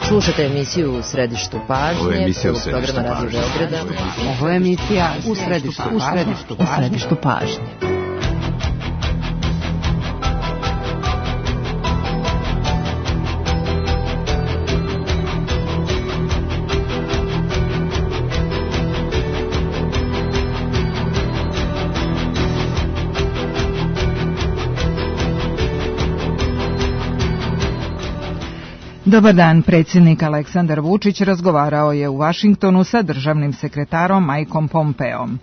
Slušate emisiju U središtu pažnje, programa Radio Beograda. Ovo je emisija U središtu pažnje. Dobar dan, predsjednik Aleksandar Vučić razgovarao je u Vašingtonu sa državnim sekretarom Mikeom Pompeom.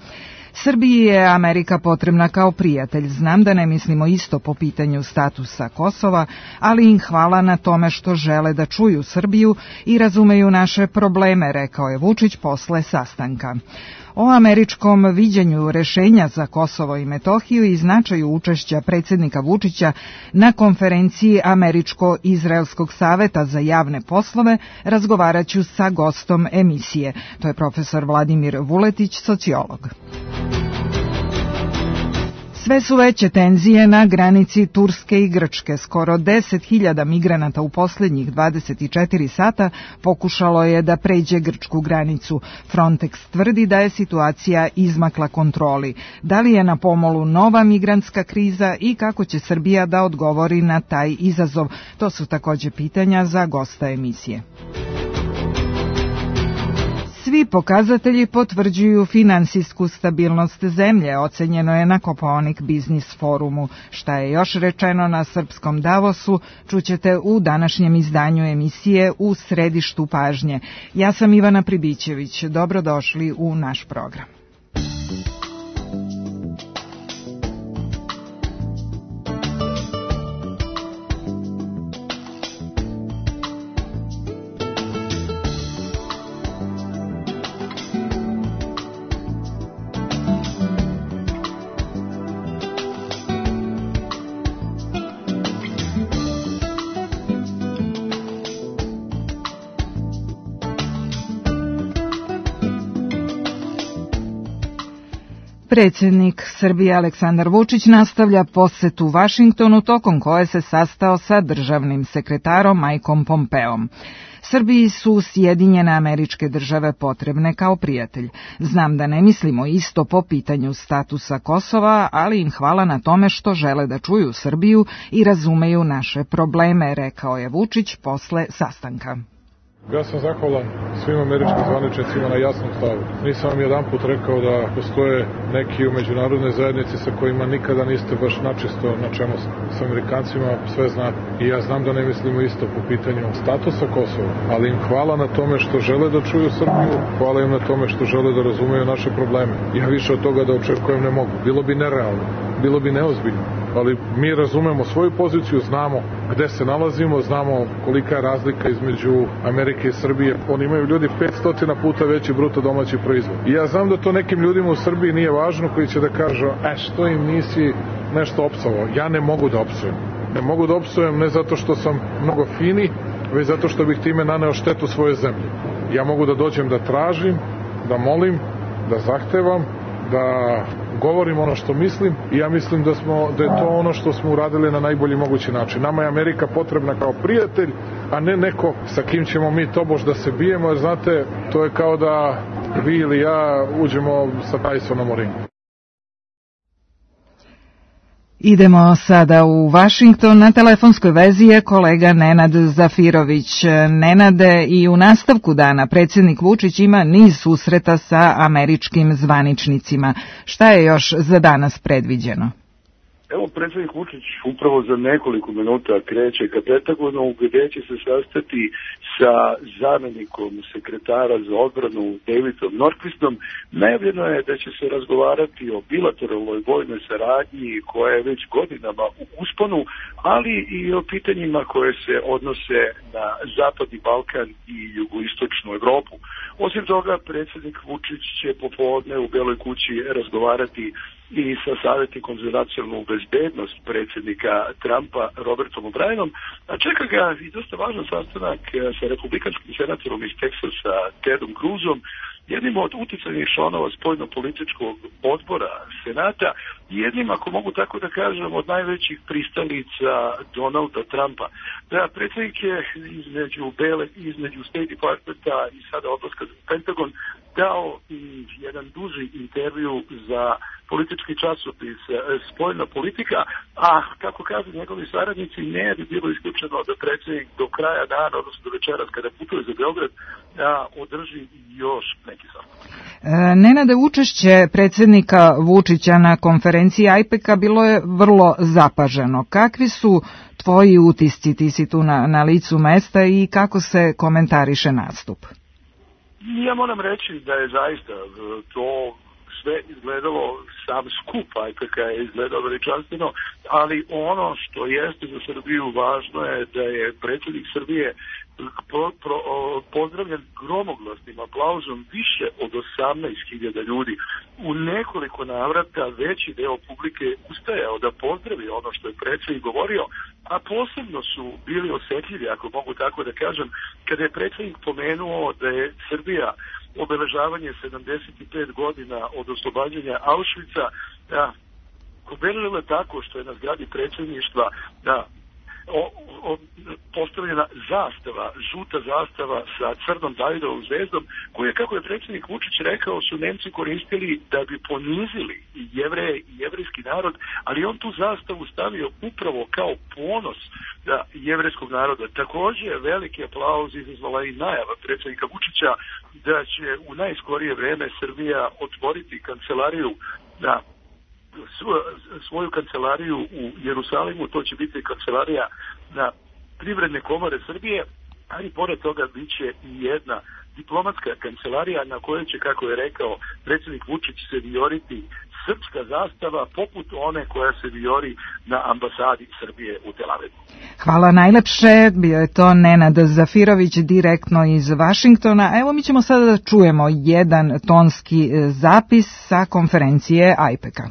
Srbiji je Amerika potrebna kao prijatelj. Znam da ne mislimo isto po pitanju statusa Kosova, ali im hvala na tome što žele da čuju Srbiju i razumeju naše probleme, rekao je Vučić posle sastanka. O američkom viđenju rešenja za Kosovo i Metohiju i značaju učešća predsjednika Vučića na konferenciji Američko-Izraelskog saveta za javne poslove razgovarat ću sa gostom emisije. To je profesor Vladimir Vuletić, sociolog. Sve su veće tenzije na granici Turske i Grčke. Skoro 10.000 migranata u posljednjih 24 sata pokušalo je da pređe grčku granicu. Frontex tvrdi da je situacija izmakla kontroli. Da li je na pomolu nova migrantska kriza i kako će Srbija da odgovori na taj izazov? To su također pitanja za gosta emisije. Svi pokazatelji potvrđuju finansijsku stabilnost zemlje, ocenjeno je na Kopaonik Biznis forumu. Šta je još rečeno na srpskom Davosu, čućete u današnjem izdanju emisije U središtu pažnje. Ja sam Ivana Pribićević, dobrodošli u naš program. Predsjednik Srbije Aleksandar Vučić nastavlja posetu Vašingtonu tokom koje se sastao sa državnim sekretarom Mikeom Pompeom. Srbiji su Sjedinjene Američke Države potrebne kao prijatelj. Znam da ne mislimo isto po pitanju statusa Kosova, ali im hvala na tome što žele da čuju Srbiju i razumeju naše probleme, rekao je Vučić posle sastanka. Ja sam zahvalan svim američkim zvaničnicima na jasnom stavu. Nisam vam jedanput rekao da postoje neki u međunarodnoj zajednici sa kojima nikada niste baš načisto na čemu s Amerikancima, sve znate. I ja znam da ne mislimo isto po pitanju statusa Kosova, ali im hvala na tome što žele da čuju Srbiju, hvala im na tome što žele da razumeju naše probleme. Ja više od toga da očekujem ne mogu. Bilo bi nerealno, bilo bi neozbiljno. Ali mi razumemo svoju poziciju, znamo gde se nalazimo, znamo kolika je razlika između Amerike i Srbije. Oni imaju ljudi 500 puta veći bruto domaći proizvod. I ja znam da to nekim ljudima u Srbiji nije važno koji će da kažu, što im nisi nešto opsovao. Ja ne mogu da opsujem. Ne mogu da opsujem ne zato što sam mnogo fini, već zato što bih time naneo štetu svoje zemlje. Ja mogu da dođem da tražim, da molim, da zahtevam, da govorim ono što mislim i ja mislim da je to ono što smo uradili na najbolji mogući način. Nama je Amerika potrebna kao prijatelj, a ne neko sa kim ćemo mi tobož da se bijemo, jer znate, to je kao da vi ili ja uđemo sa Tysonom u ring. Idemo sada u Vašington. Na telefonskoj vezi je kolega Nenad Zafirović. Nenade, i u nastavku dana predsjednik Vučić ima niz susreta sa američkim zvaničnicima. Šta je još za danas predviđeno? Evo, predsjednik Vučić upravo za nekoliko minuta kreće ka Pentagonu, gdje će se sastati sa zamjenikom sekretara za odbranu Davidom Norquistom. Najavljeno je da će se razgovarati o bilateralnoj vojnoj saradnji koja je već godinama u usponu, ali i o pitanjima koje se odnose na Zapadni Balkan i jugoistočnu Evropu. Osim toga, predsjednik Vučić će popodne u Beloj kući razgovarati i sa savjetnikom za nacionalnu bezbednost predsjednika Trumpa Robertom O'Brienom, a čeka ga i dosta važan sastanak sa republikanskim senatorom iz Teksasa Tedom Cruzom jednim od uticajnih članova spoljno-političkog odbora Senata i jednim, ako mogu tako da kažem, od najvećih pristalica Donalda Trumpa. Da, predsjednik je između State Departmenta i sada odlaska za Pentagon dao jedan duži intervju za politički časopis Spoljna politika, a kako kažu njegovi saradnici, ne bi bilo isključeno da predsjednik do kraja dana, odnosno do večeras kada putuje za Beograd, održi još neki sastanak. Nenade, učešće predsjednika Vučića na konferenciji AIPEC-a bilo je vrlo zapaženo. Kakvi su tvoji utisci, ti si tu na licu mesta, i kako se komentariše nastup? Ja moram reći da je zaista to sve izgledalo, sam skup AIPEC-a je izgledao veličanstveno, ali ono što jeste za Srbiju važno je da je predsjednik Srbije pozdravljen gromoglasnim aplauzom više od 18.000 ljudi. U nekoliko navrata veći deo publike ustajao da pozdravi ono što je predsjednik govorio, a posebno su bili osjetljivi, ako mogu tako da kažem, kada je predsjednik pomenuo da je Srbija obeležavanje 75 godina od oslobađanja Auschwitza obeležila tako što je na zgradi predsjedništva postavljena zastava, žuta zastava sa crnom Davidovom zvezdom, koju, kako je predsjednik Vučić rekao, su Nemci koristili da bi ponizili i Jevreje i jevrejski narod, ali on tu zastavu stavio upravo kao ponos jevrejskog naroda. Također veliki aplauz izazvala i najava predsjednika Vučića da će u najskorije vreme Srbija otvoriti kancelariju svoju kancelariju u Jerusalimu, to će biti kancelarija na Privredne komore Srbije, ali pored toga bit će i jedna diplomatska kancelarija na kojoj će, kako je rekao predsjednik Vučić, se vijoriti srpska zastava poput one koja se vijori na ambasadi Srbije u Tel Avivu. Hvala najlepše, bio je to Nenad Zafirović direktno iz Vašingtona. Evo, mi ćemo sada da čujemo jedan tonski zapis sa konferencije AIPEC-a.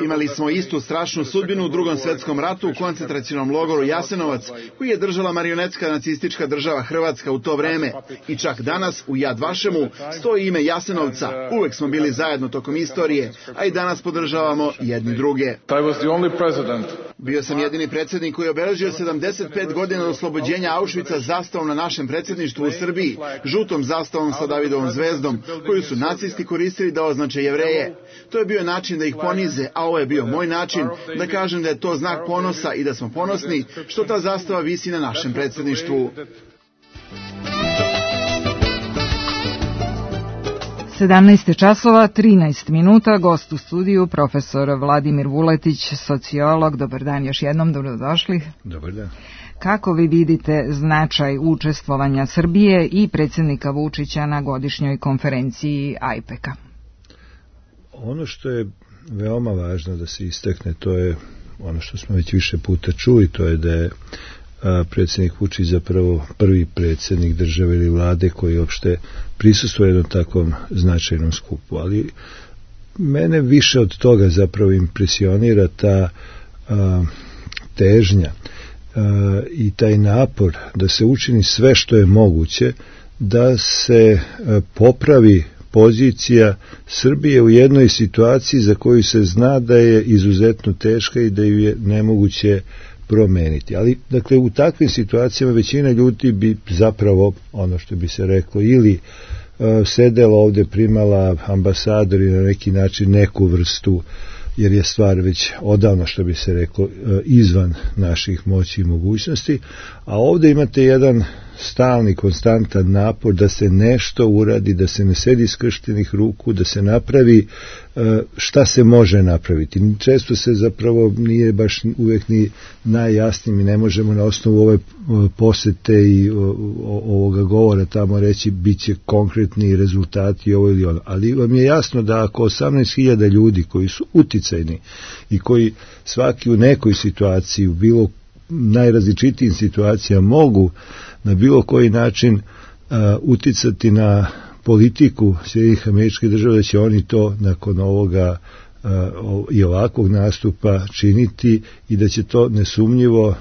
Imali smo istu strašnu sudbinu u Drugom svjetskom ratu u koncentracionom logoru Jasenovac, koji je držala marionetska nacistička država Hrvatska u to vreme. I čak danas u Jad Vašemu stoji ime Jasenovca. Uvek smo bili zajedno tokom istorije, a i danas podržavamo jedni druge. Bio sam jedini predsjednik koji je obeležio 75 godina od oslobođenja Auschwitza zastavom na našem predsjedništvu u Srbiji, žutom zastavom sa Davidovom zvezdom, koju su nacisti koristili da označe Jevreje. To je bio način da ih ponize, a ovo je bio moj način da kažem da je to znak ponosa i da smo ponosni što ta zastava visi na našem predsjedništvu. 17 časova, 13 minuta, gost u studiju, profesor Vladimir Vuletić, sociolog. Dobar dan još jednom, dobrodošli. Dobar dan. Kako vi vidite značaj učestvovanja Srbije i predsjednika Vučića na godišnjoj konferenciji AIPEC-a? Ono što je veoma važno da se istakne, to je ono što smo već više puta čuli, to je da je predsjednik Vučić zapravo prvi predsjednik države ili vlade koji uopšte prisustvuje jednom takvom značajnom skupu. Ali mene više od toga zapravo impresionira ta težnja i taj napor da se učini sve što je moguće da se popravi pozicija Srbije u jednoj situaciji za koju se zna da je izuzetno teška i da ju je nemoguće promeniti. Ali, dakle, u takvim situacijama većina ljudi bi zapravo, ono što bi se reklo, ili sedela ovdje, primala ambasador i na neki način neku vrstu, jer je stvar već odavno, što bi se reklo, izvan naših moći i mogućnosti, a ovdje imate jedan stalni, konstantan napor da se nešto uradi, da se ne sedi skrštenih ruku, da se napravi šta se može napraviti. Često se zapravo nije baš uvijek ni najjasnije, mi ne možemo na osnovu ove posete i ovoga govora tamo reći bit će konkretni rezultati ovo ili ono. Ali vam je jasno da ako 18.000 ljudi koji su uticajni i koji svaki u nekoj situaciji, u bilo najrazličitijim situacijama mogu na bilo koji način uticati na politiku Sjedinjenih Američkih Država, da će oni to nakon ovoga i ovakvog nastupa činiti i da će to nesumnjivo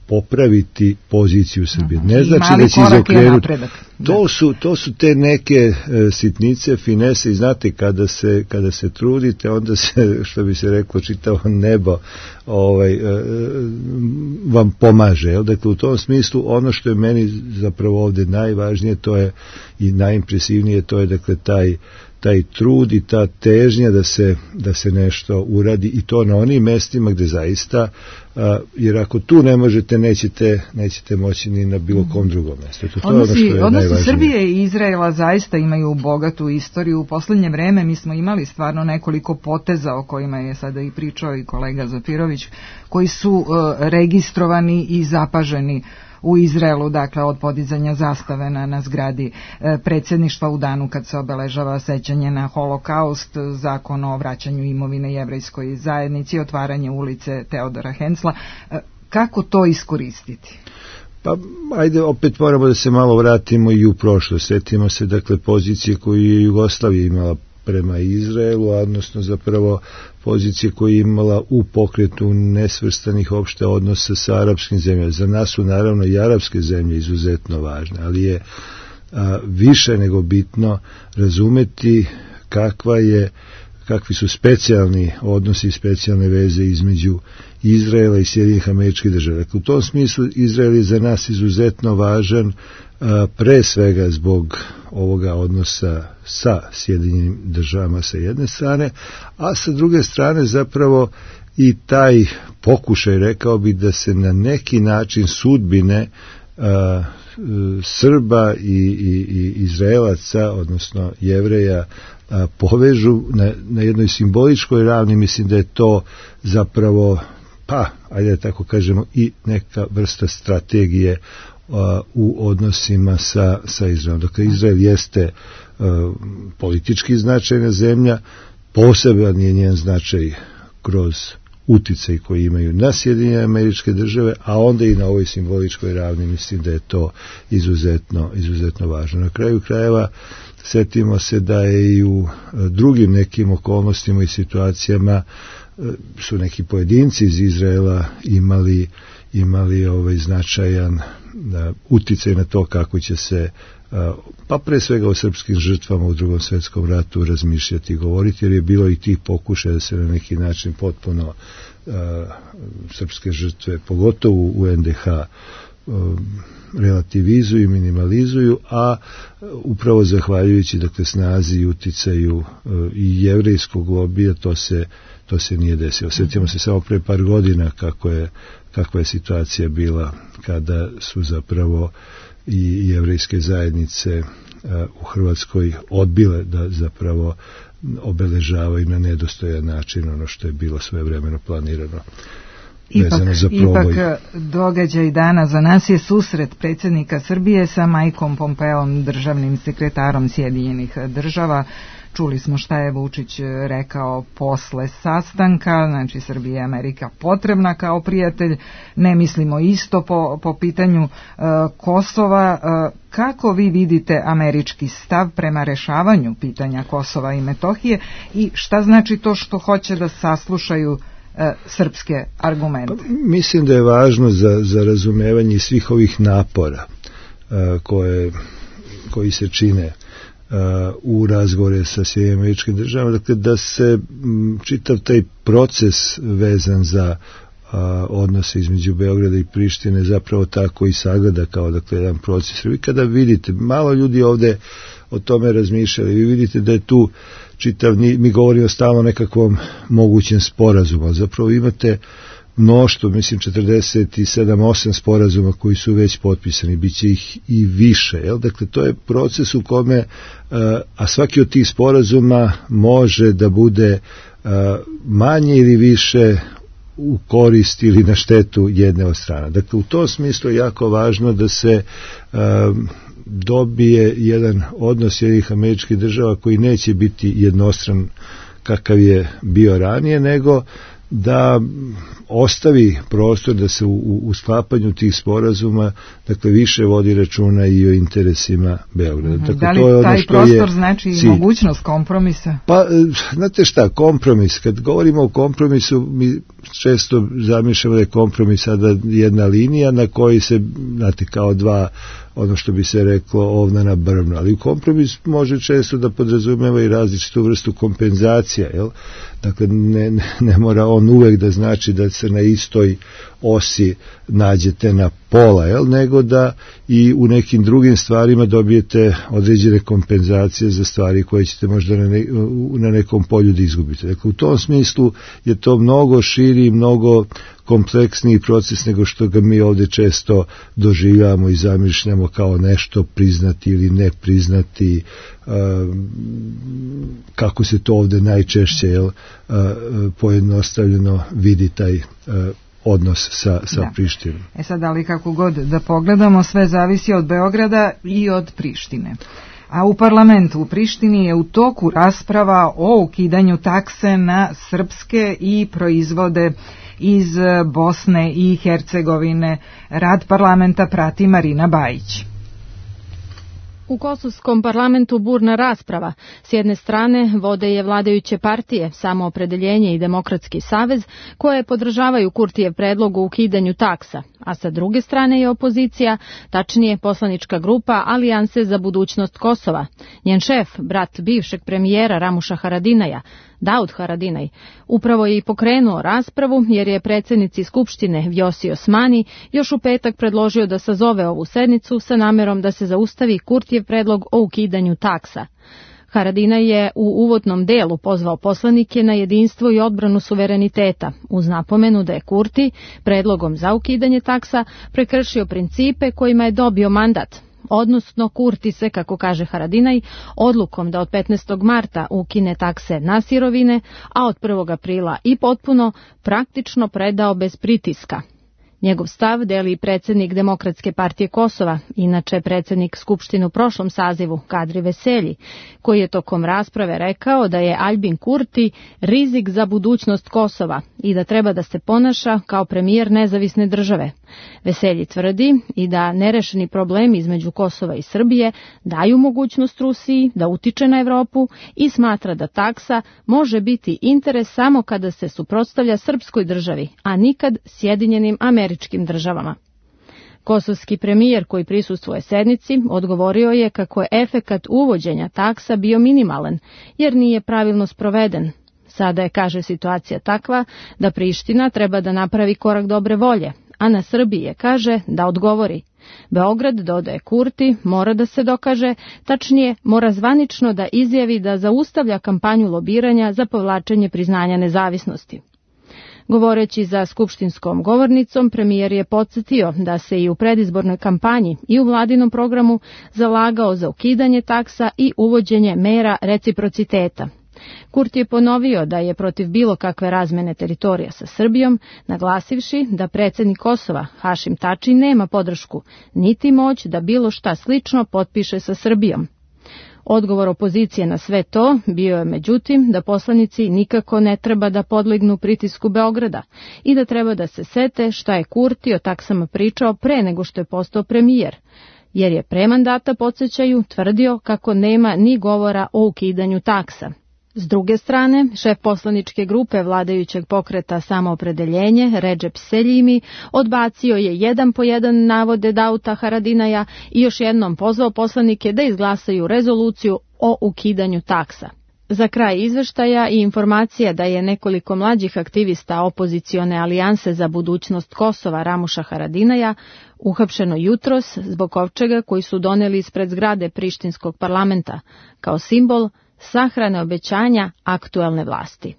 popraviti poziciju Srbije. Ne znači da će izokrenuti. To su te neke sitnice, finese i znate kada se trudite onda se, što bi se reklo, čitavo nebo vam pomaže. Dakle, u tom smislu ono što je meni zapravo ovdje najvažnije, to je i najimpresivnije, to je dakle taj trud i ta težnja da se nešto uradi i to na onim mestima gdje zaista, jer ako tu ne možete, nećete moći ni na bilo kom drugom mjestu. Odnosi Srbije i Izraela zaista imaju bogatu istoriju. U posljednje vreme mi smo imali stvarno nekoliko poteza o kojima je sada i pričao i kolega Zafirović, koji su registrovani i zapaženi u Izraelu, dakle od podizanja zastave na zgradi predsjedništva u danu kad se obeležava sećanje na holokaust, zakon o vraćanju imovine jevrejskoj zajednici, otvaranje ulice Teodora Herzla. Kako to iskoristiti? Pa, ajde, opet moramo da se malo vratimo i u prošlost. Sjetimo se, dakle, pozicije koju je Jugoslavija imala prema Izraelu, odnosno zapravo pozicije koje je imala u pokretu nesvrstanih opšte odnosa sa arapskim zemljama. Za nas su naravno i arapske zemlje izuzetno važne, ali je više nego bitno razumeti kakvi su specijalni odnosi i specijalne veze između Izraela i Sjedinjenih Američkih Država. Dakle, u tom smislu Izrael je za nas izuzetno važan, pre svega zbog ovoga odnosa sa Sjedinjenim Državama sa jedne strane, a sa druge strane zapravo i taj pokušaj, rekao bih, da se na neki način sudbine Srba i Izraelaca, odnosno Jevreja, povežu na jednoj simboličkoj ravni. Mislim da je to zapravo, ajde da tako kažemo, i neka vrsta strategije u odnosima sa Izraelom. Dakle, Izrael jeste politički značajna zemlja, poseban je njen značaj kroz uticaj koji imaju na Sjedinjene Američke Države, a onda i na ovoj simboličkoj ravni. Mislim da je to izuzetno važno. Na kraju krajeva setimo se da je i u drugim nekim okolnostima i situacijama su neki pojedinci iz Izraela imali značajan uticaj na to kako će se, pa pre svega o srpskim žrtvama u Drugom svjetskom ratu razmišljati i govoriti, jer je bilo i tih pokušaja da se na neki način potpuno srpske žrtve, pogotovo u NDH, relativizuju i minimalizuju, a upravo zahvaljujući, dakle, snazi i uticaju i jevrejskog lobija to se nije desilo. Sjetimo se samo pre par godina kakva je situacija bila kada su zapravo i jevrejske zajednice u Hrvatskoj odbile da zapravo obeležavaju na nedostojan način ono što je bilo svojevremeno planirano. Ipak događaj dana za nas je susret predsjednika Srbije sa Mikeom Pompeom, državnim sekretarom Sjedinjenih Država. Čuli smo šta je Vučić rekao posle sastanka, znači Srbija i Amerika potrebna kao prijatelj, ne mislimo isto po pitanju Kosova. Kako vi vidite američki stav prema rešavanju pitanja Kosova i Metohije i šta znači to što hoće da saslušaju srpske argumente? Mislim da je važno za razumevanje svih ovih napora koji se čine u razgovore sa Sjedinjenim Američkim Državama, dakle da se čitav taj proces vezan za odnose između Beograda i Prištine zapravo tako i sagleda kao, dakle, jedan proces. Vi kada vidite, malo ljudi ovdje o tome razmišljali, vi vidite da je tu mi govorimo stalno o nekakvom mogućem sporazumu, zapravo imate mnoštvo, mislim 47-8 sporazuma koji su već potpisani, bit će ih i više, jel? Dakle, to je proces u kome, a svaki od tih sporazuma može da bude manje ili više u korist ili na štetu jedne od strana. Dakle, u tom smislu je jako važno da se dobije jedan odnos Sjedinjenih Američkih Država koji neće biti jednostran kakav je bio ranije, nego da ostavi prostor da se u sklapanju tih sporazuma dakle više vodi računa i o interesima Beograda. Dakle, da li to je taj prostor znači i mogućnost kompromisa? Pa, znate šta, kompromis, kad govorimo o kompromisu, mi često zamišljamo da je kompromis sada jedna linija na koji se, znate, kao dva, ono što bi se reklo, ovna na brvno, ali kompromis može često da podrazumeva i različitu vrstu kompenzacija, jel? Dakle, ne mora on uvek da znači da se na istoj osi nađete na pola, jel? Nego da i u nekim drugim stvarima dobijete određene kompenzacije za stvari koje ćete možda na nekom polju da izgubite. Dakle, u tom smislu je to mnogo širi i mnogo kompleksniji proces nego što ga mi ovdje često doživljamo i zamišljamo kao nešto priznati ili ne priznati, kako se to ovdje najčešće pojednostavljeno vidi taj odnos sa Prištinom. Sad, ali kako god da pogledamo, sve zavisi od Beograda i od Prištine. A u parlamentu u Prištini je u toku rasprava o ukidanju takse na srpske i proizvode iz Bosne i Hercegovine. Rad parlamenta prati Marina Bajić. U kosovskom parlamentu burna rasprava. S jedne strane vode je vladajuće partije, Samoopredeljenje i Demokratski savez, koje podržavaju Kurtijev predlog o ukidanju taksa, a sa druge strane je opozicija, tačnije poslanička grupa Alijanse za budućnost Kosova. Njen šef, brat bivšeg premijera Ramuša Haradinaja, Daud Haradinaj, upravo je i pokrenuo raspravu jer je predsjednici Skupštine Vjosi Osmani još u petak predložio da sazove ovu sednicu sa namerom da se zaustavi Kurtijev predlog o ukidanju taksa. Haradinaj je u uvodnom delu pozvao poslanike na jedinstvo i odbranu suvereniteta, uz napomenu da je Kurti predlogom za ukidanje taksa prekršio principe kojima je dobio mandat. Odnosno, Kurti se, kako kaže Haradinaj, odlukom da od 15. marta ukine takse na sirovine, a od 1. aprila i potpuno, praktično predao bez pritiska. Njegov stav deli i predsjednik Demokratske partije Kosova, inače predsjednik Skupštine u prošlom sazivu, Kadri Veselji, koji je tokom rasprave rekao da je Aljbin Kurti rizik za budućnost Kosova i da treba da se ponaša kao premijer nezavisne države. Veselji tvrdi i da nerešeni problemi između Kosova i Srbije daju mogućnost Rusiji da utiče na Evropu i smatra da taksa može biti interes samo kada se suprotstavlja srpskoj državi, a nikad Sjedinjenim Američkim državama. Kosovski premijer koji prisustvuje sednici odgovorio je kako je efekat uvođenja taksa bio minimalan, jer nije pravilno sproveden. Sada je, kaže, situacija takva da Priština treba da napravi korak dobre volje, a na Srbiji je, kaže, da odgovori. Beograd, dodaje Kurti, mora da se dokaže, tačnije mora zvanično da izjavi da zaustavlja kampanju lobiranja za povlačenje priznanja nezavisnosti. Govoreći za skupštinskom govornicom, premijer je podsjetio da se i u predizbornoj kampanji i u vladinom programu zalagao za ukidanje taksa i uvođenje mera reciprociteta. Kurti je ponovio da je protiv bilo kakve razmene teritorija sa Srbijom, naglasivši da predsjednik Kosova, Hašim Tači, nema podršku, niti moć da bilo šta slično potpiše sa Srbijom. Odgovor opozicije na sve to bio je, međutim, da poslanici nikako ne treba da podlegnu pritisku Beograda i da treba da se sete šta je Kurti o taksama pričao pre nego što je postao premijer, jer je pre mandata, podsjećaju, tvrdio kako nema ni govora o ukidanju taksa. S druge strane, šef poslaničke grupe vladajućeg pokreta Samoopredeljenje, Redžep Seljimi, odbacio je jedan po jedan navode Dauta Haradinaja i još jednom pozvao poslanike da izglasaju rezoluciju o ukidanju taksa. Za kraj izveštaja i informacija da je nekoliko mlađih aktivista opozicione alijanse za budućnost Kosova Ramuša Haradinaja uhapšeno jutros zbog kovčega koji su doneli ispred zgrade Prištinskog parlamenta, kao simbol sahrane obećanja aktuelne vlasti.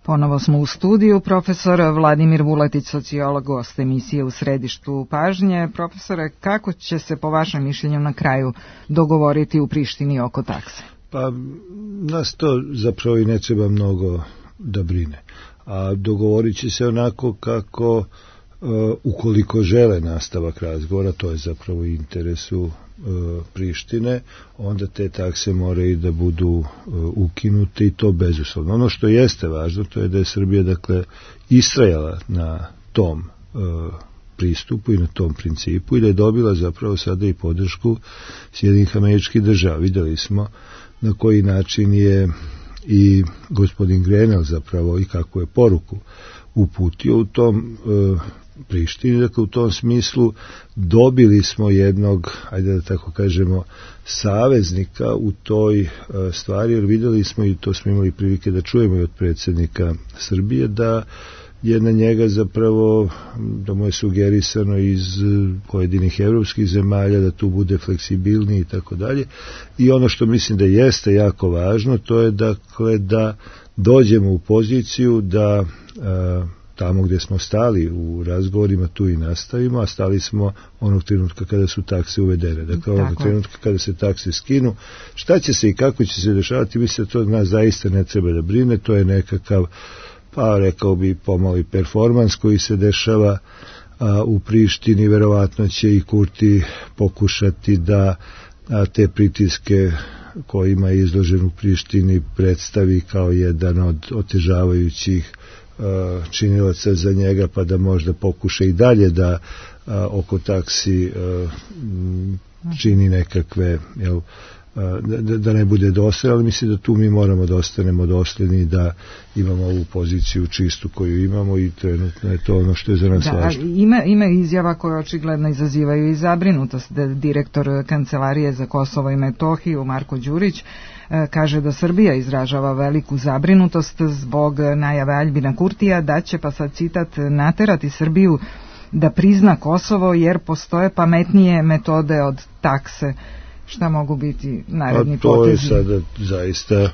Ponovo smo u studiju. Profesor Vladimir Vuletić, sociolog, gost emisije U središtu pažnje. Profesore, kako će se po vašem mišljenju na kraju dogovoriti u Prištini oko takse? Pa nas to zapravo i ne treba mnogo da brine. A dogovorit će se onako kako ukoliko žele nastavak razgovora, to je zapravo u interesu Prištine, onda te takse moraju da budu ukinute i to bezuslovno. Ono što jeste važno, to je da je Srbija dakle istrajala na tom pristupu i na tom principu i da je dobila zapravo sada i podršku Sjedinjenih Američkih Država. Videli smo na koji način je i gospodin Grenell zapravo i kakvu je poruku uputio u tom Prištini, dakle u tom smislu dobili smo jednog, ajde da tako kažemo, saveznika u toj stvari, jer videli smo i to smo imali prilike da čujemo i od predsjednika Srbije, da je na njega zapravo, da mu je sugerisano iz pojedinih evropskih zemalja da tu bude fleksibilniji i tako dalje. I ono što mislim da jeste jako važno, to je dakle da dođemo u poziciju da tamo gdje smo stali u razgovorima tu i nastavimo, a stali smo onog trenutka kada su takse uvedene. Dakle, onog trenutka kada se takse skinu, šta će se i kako će se dešavati, mislim da to nas zaista ne treba da brine, to je nekakav, pa rekao bi pomali performans koji se dešava u Prištini, verovatno će i Kurti pokušati da te pritiske kojima je izložen u Prištini predstavi kao jedan od otežavajućih činilaca za njega, pa da možda pokuša i dalje da oko taksi čini nekakve, da ne bude dosta, ali mislim da tu mi moramo da ostanemo dosljedni, da imamo ovu poziciju čistu koju imamo i trenutno je to ono što je za nas važno. Ima izjava koje očigledno izazivaju i zabrinutost. Direktor Kancelarije za Kosovo i Metohiju Marko Đurić kaže da Srbija izražava veliku zabrinutost zbog najave Aljbina Kurtija da će, pa sad citat, naterati Srbiju da prizna Kosovo jer postoje pametnije metode od takse. Šta mogu biti naredni potezi? To je sada zaista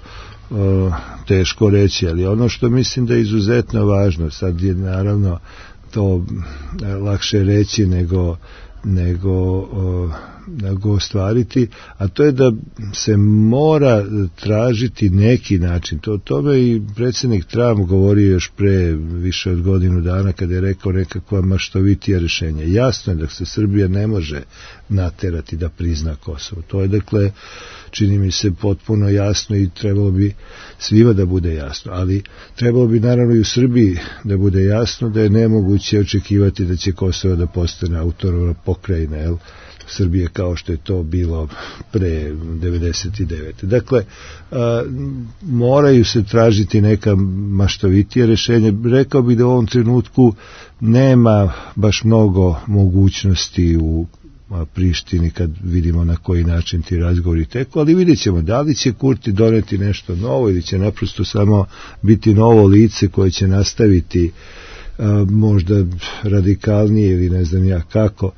teško reći, ali ono što mislim da je izuzetno važno, sad je naravno to lakše reći nego ostvariti, a to je da se mora tražiti neki način. To tome i predsjednik Trump govorio još pre više od godinu dana kada je rekao nekakva maštovitija rješenja. Jasno je da se Srbija ne može naterati da prizna Kosovo. To je dakle, čini mi se potpuno jasno i trebalo bi svima da bude jasno, ali trebalo bi naravno i u Srbiji da bude jasno da je nemoguće očekivati da će Kosovo da postane autonomna pokrajina, jel? Srbije kao što je to bilo pre 99. Dakle, moraju se tražiti neka maštovitije rješenja. Rekao bih da u ovom trenutku nema baš mnogo mogućnosti u Prištini kad vidimo na koji način ti razgovori teku, ali vidjet ćemo da li će Kurti doneti nešto novo ili će naprosto samo biti novo lice koje će nastaviti možda radikalnije ili ne znam ja kako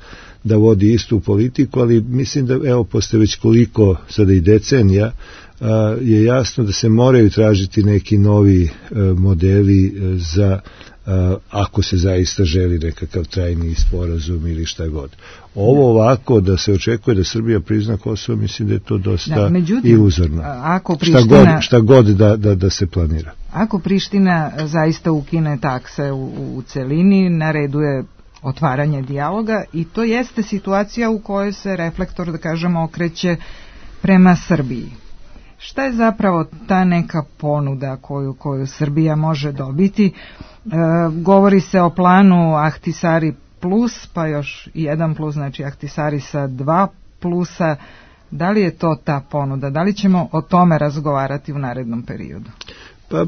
da vodi istu politiku, ali mislim da evo posle već koliko sada i decenija je jasno da se moraju tražiti neki novi modeli za ako se zaista želi nekakav trajni sporazum ili šta god. Ovo ovako da se očekuje da Srbija prizna Kosovo, mislim da je to dosta iluzorno. Šta god da se planira. Ako Priština zaista ukine takse u celini, na redu je otvaranje dijaloga i to jeste situacija u kojoj se reflektor, da kažemo, okreće prema Srbiji. Šta je zapravo ta neka ponuda koju Srbija može dobiti? Govori se o planu Ahtisari plus, pa još i 1 plus, znači Ahtisari sa 2 plusa. Da li je to ta ponuda? Da li ćemo o tome razgovarati u narednom periodu? Pa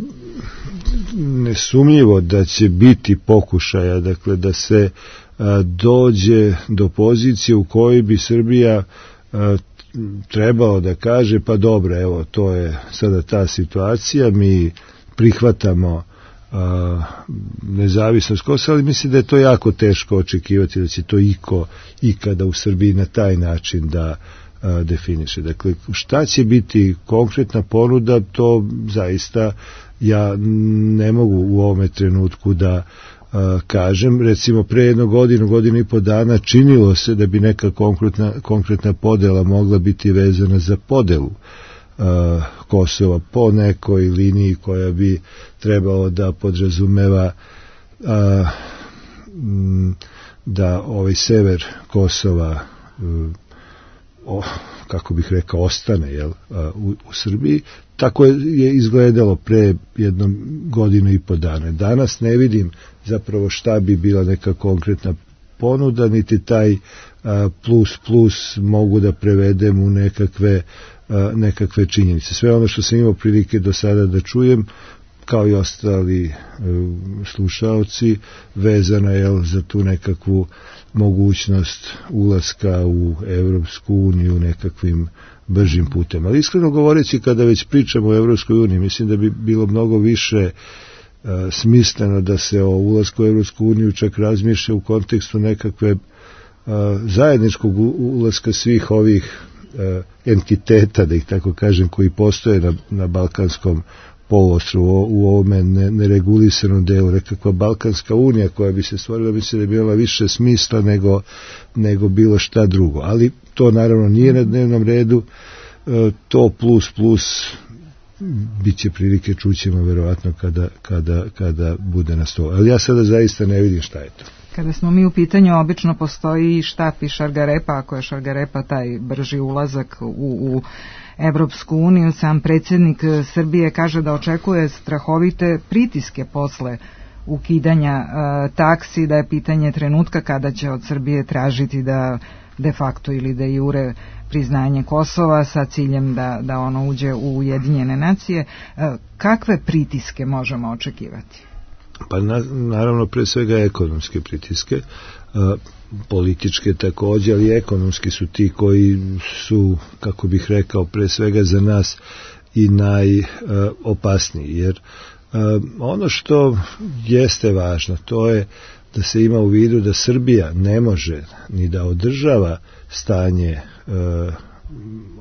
nesumnjivo da će biti pokušaja, dakle da se dođe do pozicije u kojoj bi Srbija trebao da kaže pa dobro, evo to je sada ta situacija, mi prihvatamo nezavisnost Kosova, ali mislim da je to jako teško očekivati da će to ikada u Srbiji na taj način da definiše. Dakle, šta će biti konkretna ponuda, to zaista ja ne mogu u ovome trenutku da kažem. Recimo, pre godinu i po dana činilo se da bi neka konkretna podela mogla biti vezana za podelu Kosova po nekoj liniji koja bi trebalo da podrazumeva da ovaj sever Kosova kako bih rekao, ostane u Srbiji. Tako je izgledalo pre jednom godinu i po dana. Danas ne vidim šta bi bila neka konkretna ponuda, niti taj plus mogu da prevedem u nekakve činjenice. Sve ono što sam imao prilike do sada da čujem, kao i ostali slušaoci, vezano je za tu nekakvu mogućnost ulaska u Evropsku uniju nekakvim bržim putem. Ali iskreno govoreći, kada već pričamo o Evropskoj uniji, mislim da bi bilo mnogo više smisleno da se o ulasku u Evropsku uniju čak razmišlja u kontekstu nekakve zajedničkog ulaska svih ovih entiteta, da ih tako kažem, koji postoje na Balkanskom poluostrvu, u ovome neregulisanom delu. Nekakva Balkanska unija koja bi se stvorila, mislim da bi imala više smisla nego bilo šta drugo. Ali to naravno nije na dnevnom redu. To plus bit će prilike, čućemo verovatno kada bude na stolu. Ali ja sada zaista ne vidim šta je to. Kada smo mi u pitanju, obično postoji štap i šargarepa, ako je šargarepa taj brži ulazak u Evropsku uniju. Sam predsjednik Srbije kaže da očekuje strahovite pritiske posle ukidanja taksi, da je pitanje trenutka kada će od Srbije tražiti da de facto ili de jure priznanje Kosova sa ciljem da ono uđe u Ujedinjene nacije. Kakve pritiske možemo očekivati? Pa naravno pre svega ekonomske pritiske, političke također, ali ekonomski su ti koji su, kako bih rekao, pre svega za nas i najopasniji, jer ono što jeste važno, to je da se ima u vidu da Srbija ne može ni da održava stanje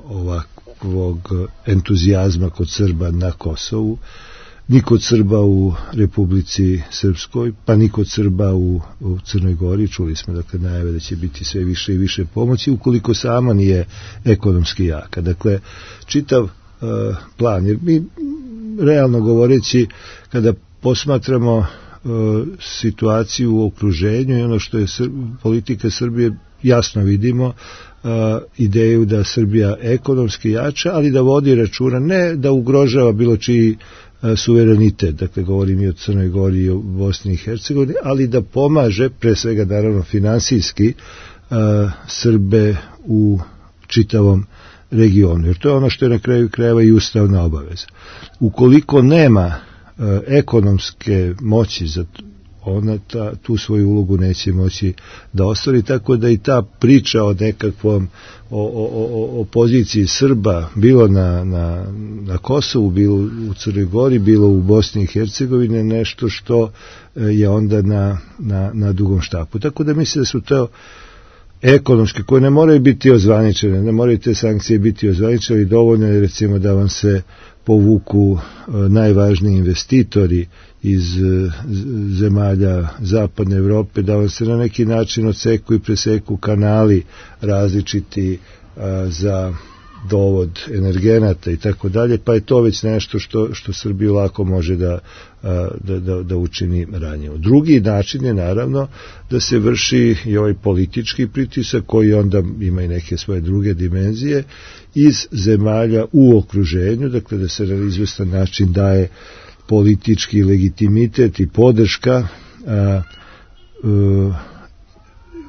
ovakvog entuzijazma kod Srba na Kosovu, ni kod Srba u Republici Srpskoj, pa ni kod Srba u Crnoj Gori. Čuli smo najave da će biti sve više i više pomoći, ukoliko sama nije ekonomski jaka. Dakle, čitav plan, jer mi realno govoreći, kada posmatramo situaciju u okruženju i ono što je politika Srbije, jasno vidimo ideju da Srbija ekonomski jača, ali da vodi računa, ne da ugrožava bilo čiji suverenitet, dakle govorim i o Crnoj Gori i o Bosni i Hercegovini, ali da pomaže, pre svega naravno finansijski, Srbe u čitavom regionu, jer to je ono što je na kraju krajeva i ustavna obaveza. Ukoliko nema ekonomske moći, ona tu svoju ulogu neće moći da ostvari, tako da i ta priča o nekakvom o poziciji Srba, bilo na Kosovu, bilo u Crnoj Gori, bilo u Bosni i Hercegovini, nešto što je onda na dugom štapu. Tako da mislim da su to ekonomske, koje ne moraju biti ozvaničene, ne moraju te sankcije biti ozvaničene, dovoljno je recimo da vam se povuku najvažniji investitori iz zemalja Zapadne Evrope, da vam se na neki način odseku i preseku kanali različiti za dovod energenata i tako dalje, pa je to već nešto što Srbiju lako može da učini ranjivo. Drugi način je naravno da se vrši i ovaj politički pritisak, koji onda ima i neke svoje druge dimenzije, iz zemalja u okruženju, dakle da se na izvestan način daje politički legitimitet i podrška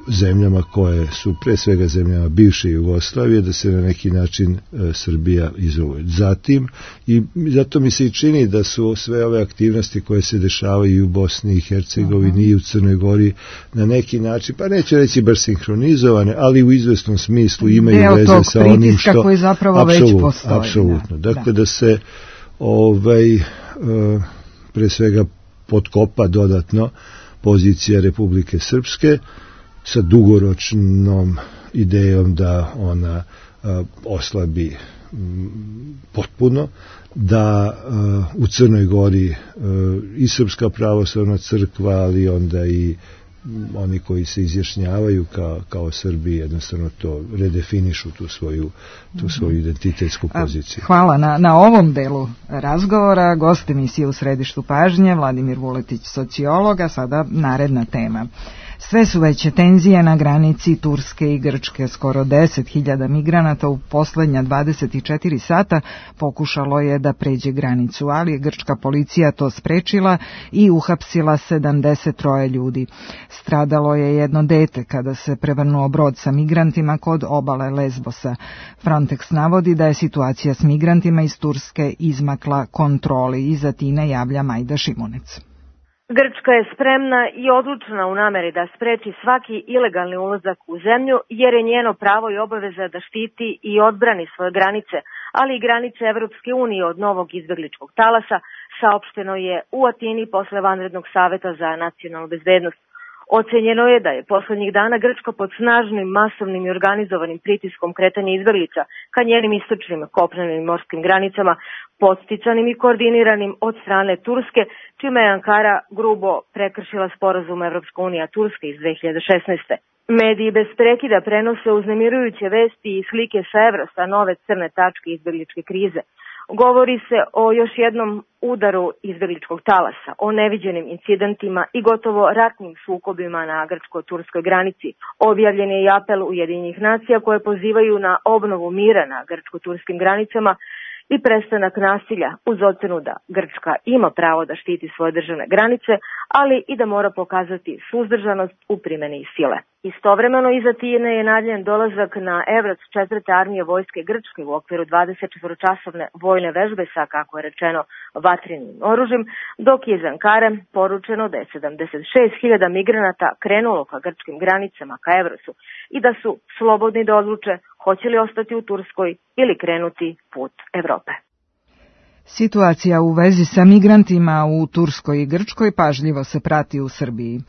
zemljama koje su pre svega zemljama bivše Jugoslavije, da se na neki način Srbija izoluje. Zatim, i zato mi se i čini da su sve ove aktivnosti koje se dešavaju i u Bosni i Hercegovini i u Crnoj Gori na neki način, pa neću reći baš sinhronizovane, ali u izvesnom smislu imaju veze sa onim što koji zapravo već postoji. Apsolutno. Dakle, da se pre svega potkopa dodatno pozicija Republike Srpske sa dugoročnom idejom da ona oslabi potpuno, da u Crnoj Gori i Srpska pravoslavna crkva, ali onda i oni koji se izjašnjavaju kao Srbi, jednostavno to redefinišu tu svoju identitetsku poziciju. Hvala na ovom delu razgovora. Gost emisije U središtu pažnje, Vladimir Vuletić, sociolog, a sada naredna tema. Sve su veće tenzije na granici Turske i Grčke. Skoro 10.000 migranata u poslednja 24 sata pokušalo je da pređe granicu, ali je grčka policija to sprečila i uhapsila 73 ljudi. Stradalo je jedno dete kada se prevrnuo brod sa migrantima kod obale Lesbosa. Frontex navodi da je situacija s migrantima iz Turske izmakla kontroli. Iz Atine javlja Majda Šimunec. Grčka je spremna i odlučna u nameri da spreči svaki ilegalni ulazak u zemlju, jer je njeno pravo i obaveza da štiti i odbrani svoje granice, ali i granice Evropske unije od novog izbegličkog talasa, saopšteno je u Atini posle vanrednog saveta za nacionalnu bezbednost. Ocenjeno je da je poslednjih dana Grčka pod snažnim, masovnim i organizovanim pritiskom kretanja izbeglica ka njenim istočnim, kopnenim i morskim granicama, podsticanim i koordiniranim od strane Turske, čime je Ankara grubo prekršila sporazum Evropska unija Turske iz 2016. Mediji bez prekida prenose uznemirujuće vesti i slike sa Evrosa, nove crne tačke izbegličke krize. Govori se o još jednom udaru izbegličkog talasa, o neviđenim incidentima i gotovo ratnim sukobima na grčko-turskoj granici. Objavljen je i apel Ujedinjenih nacija koje pozivaju na obnovu mira na grčko-turskim granicama i prestanak nasilja, uz ocenu da Grčka ima pravo da štiti svoje državne granice, ali i da mora pokazati suzdržanost u primjeni sile. Istovremeno iz Atine je najavljen dolazak na Evros 4. armije vojske Grčke u okviru 24-časovne vojne vežbe sa, kako je rečeno, vatrenim oružjem, dok je iz Ankare poručeno da je 76.000 migranata krenulo ka grčkim granicama ka Evrosu i da su slobodni da odluče hoće li ostati u Turskoj ili krenuti put Evrope. Situacija u vezi sa migrantima u Turskoj i Grčkoj pažljivo se prati u Srbiji.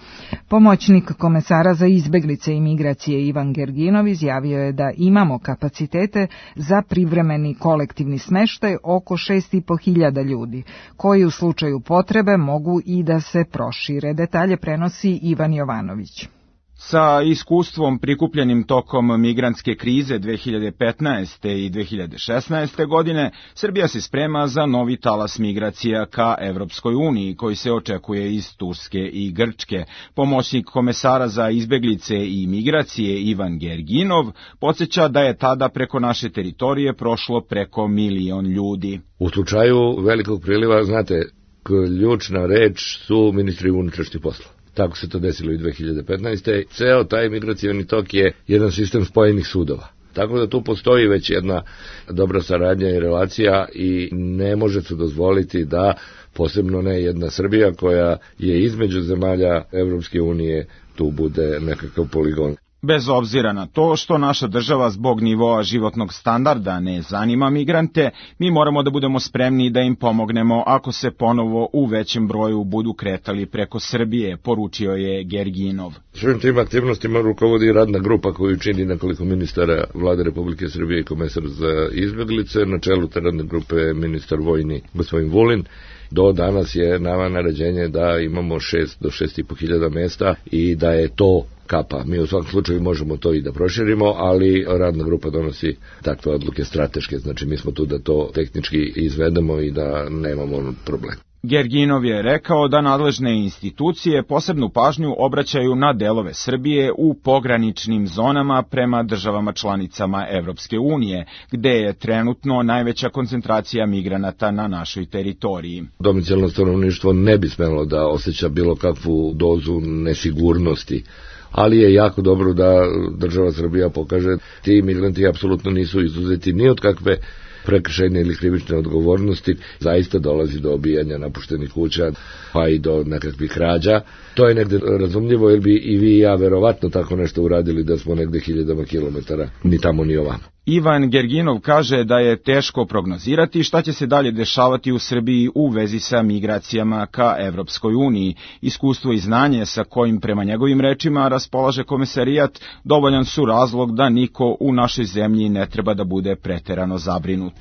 Pomoćnik komesara za izbeglice i migracije Ivan Gerginov izjavio je da imamo kapacitete za privremeni kolektivni smeštaj oko 6.500 ljudi, koji u slučaju potrebe mogu i da se prošire. Detalje prenosi Ivan Jovanović. Sa iskustvom prikupljenim tokom migrantske krize 2015. i 2016. godine, Srbija se sprema za novi talas migracija ka Evropskoj uniji, koji se očekuje iz Turske i Grčke. Pomoćnik komesara za izbeglice i migracije Ivan Gerginov podsjeća da je tada preko naše teritorije prošlo preko 1 milion ljudi. U slučaju velikog priliva, znate, ključna reč su ministri unutrašnjih poslova. Tako se to desilo i 2015. Ceo taj migracioni tok je jedan sistem spojenih sudova. Tako da tu postoji već jedna dobra saradnja i relacija i ne može se dozvoliti da, posebno ne jedna Srbija koja je između zemalja Evropske unije, tu bude nekakav poligon. Bez obzira na to što naša država zbog nivoa životnog standarda ne zanima migrante, mi moramo da budemo spremni da im pomognemo ako se ponovo u većem broju budu kretali preko Srbije, poručio je Gerginov. Svim tim aktivnostima rukovodi radna grupa koju čini nekoliko ministara Vlade Republike Srbije i komesar za izbeglice. Na čelu te radne grupe je ministar vojni gospodin Vulin. Do danas je nama naređenje da imamo 6 do 6.500 mesta i da je to kapa. Mi u svakom slučaju možemo to i da proširimo, ali radna grupa donosi takve odluke strateške. Znači mi smo tu da to tehnički izvedemo i da nemamo problem. Gerginov je rekao da nadležne institucije posebnu pažnju obraćaju na delove Srbije u pograničnim zonama prema državama članicama Evropske unije, gde je trenutno najveća koncentracija migranata na našoj teritoriji. Domicilno stanovništvo ne bi smelo da osjeća bilo kakvu dozu nesigurnosti, ali je jako dobro da država Srbija pokaže ti migranti apsolutno nisu izuzeti ni od kakve prekršajne ili krivične odgovornosti. Zaista dolazi do obijanja napuštenih kuća, pa i do nekakvih krađa. To je negde razumljivo, jer bi i vi i ja verovatno tako nešto uradili da smo negde 1000 kilometara, ni tamo ni ovamo. Ivan Gerginov kaže da je teško prognozirati šta će se dalje dešavati u Srbiji u vezi sa migracijama ka Evropskoj uniji. Iskustvo i znanje sa kojim prema njegovim rečima raspolaže komesarijat dovoljan su razlog da niko u našoj zemlji ne treba da bude preterano zabrinut.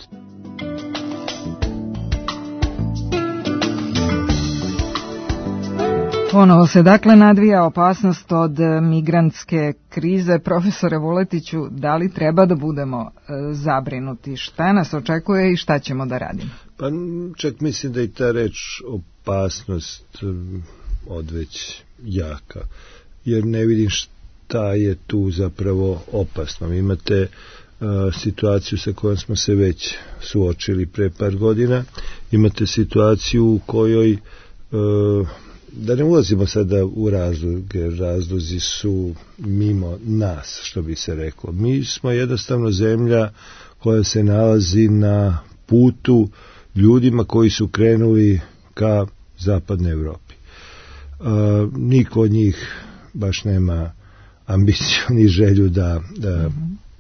Ponovo se dakle nadvija opasnost od migrantske krize. Profesore Vuletiću, da li treba da budemo zabrinuti? Šta nas očekuje i šta ćemo da radimo? Pa čak mislim da je ta reč opasnost odveć jaka. jer ne vidim šta je tu zapravo opasno. Imate situaciju sa kojom smo se već suočili pre par godina, imate situaciju u kojoj da ne ulazimo sada u razloge, razlozi su mimo nas, što bi se reklo. Mi smo jednostavno zemlja koja se nalazi na putu ljudima koji su krenuli ka zapadnoj Evropi. Niko od njih baš nema ambiciju ni želju da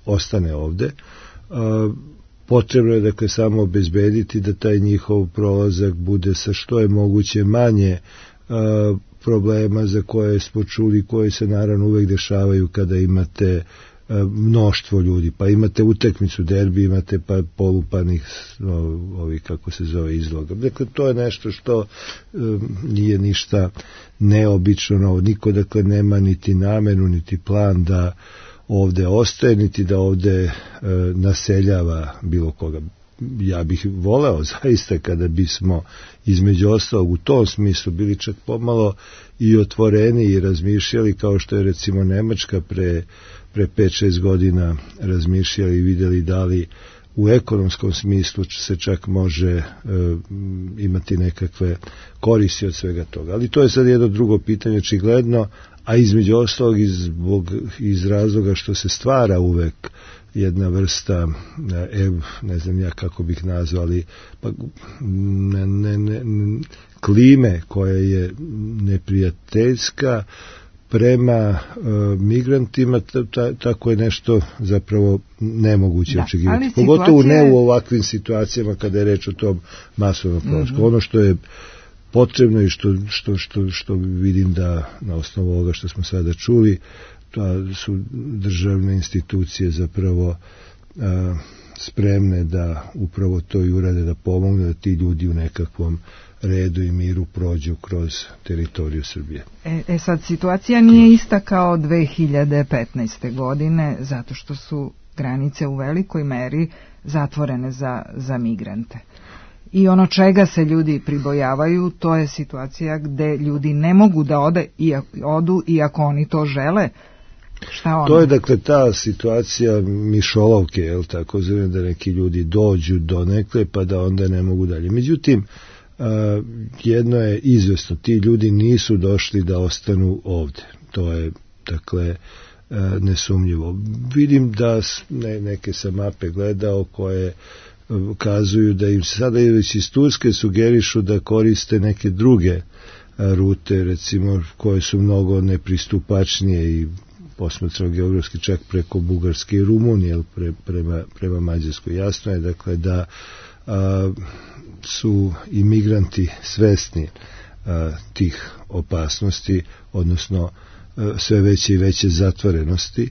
ostane ovde. Potrebno je dakle samo obezbediti da taj njihov prolazak bude sa što je moguće manje problema za koje smo čuli, koje se naravno uvek dešavaju kada imate mnoštvo ljudi, pa imate utakmicu derbi, imate pa polupanih kako se zove izloga. Dakle, to je nešto što nije ništa neobično, niko dakle nema niti namenu, niti plan da ovde ostaje, niti da ovde naseljava bilo koga. Ja bih voleo zaista kada bismo između ostalog u tom smislu bili čak pomalo i otvoreni i razmišljali kao što je recimo Nemačka pre 5-6 godina razmišljali i vidjeli da li u ekonomskom smislu se čak može imati nekakve koristi od svega toga. Ali to je sad jedno drugo pitanje očigledno, a između ostalog iz razloga što se stvara uvek jedna vrsta, ne znam ja kako bih nazvali, klime koja je neprijateljska prema migrantima, tako je nešto zapravo nemoguće očekivati. Pogotovo ne u ovakvim situacijama kada je reč o tom masovnom prolasku. Ono što je potrebno i što vidim da na osnovu ovoga što smo sada čuli, da su državne institucije zapravo spremne da upravo to i urade, da pomogne da ti ljudi u nekakvom redu i miru prođu kroz teritoriju Srbije. Sad, situacija nije ista kao 2015. godine, zato što su granice u velikoj meri zatvorene za migrante. I ono čega se ljudi pribojavaju, to je situacija gde ljudi ne mogu da odu iako oni to žele. Šta ono? To je dakle ta situacija mišolovke, jel tako, da neki ljudi dođu do nekle pa da onda ne mogu dalje. Međutim, jedno je izvesno, ti ljudi nisu došli da ostanu ovde. To je, dakle, nesumnjivo. Vidim da neke sam mape gledao koje kazuju da im sada već iz Turske sugerišu da koriste neke druge rute, recimo, koje su mnogo nepristupačnije i posmatrano geografski čak preko Bugarske i Rumunije prema Mađarskoj. Jasno je, dakle, da su imigranti svesni tih opasnosti, odnosno sve veće i veće zatvorenosti,